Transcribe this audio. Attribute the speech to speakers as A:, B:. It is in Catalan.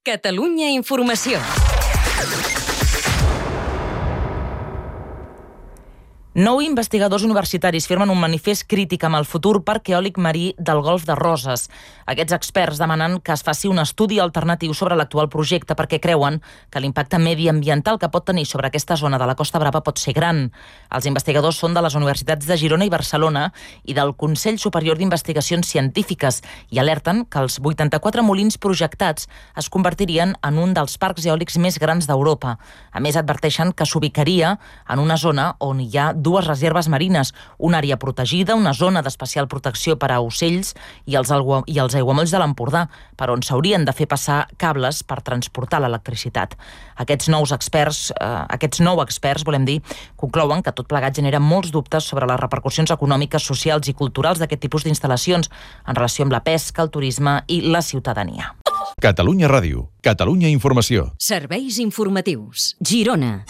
A: Catalunya Informació. Nou investigadors universitaris firmen un manifest crític amb el futur parc eòlic marí del Golf de Roses. Aquests experts demanen que es faci un estudi alternatiu sobre l'actual projecte perquè creuen que l'impacte mediambiental que pot tenir sobre aquesta zona de la Costa Brava pot ser gran. Els investigadors són de les universitats de Girona i Barcelona i del Consell Superior d'Investigacions Científiques i alerten que els 84 molins projectats es convertirien en un dels parcs eòlics més grans d'Europa. A més, adverteixen que s'ubicaria en una zona on hi ha dues reserves marines, una àrea protegida, una zona d'especial protecció per a ocells i els aiguamolls de l'Empordà, per on s'haurien de fer passar cables per transportar l'electricitat. Aquests nou experts, conclouen que tot plegat genera molts dubtes sobre les repercussions econòmiques, socials i culturals d'aquest tipus d'instal·lacions en relació amb la pesca, el turisme i la ciutadania.
B: Catalunya Ràdio, Catalunya Informació.
A: Serveis informatius. Girona.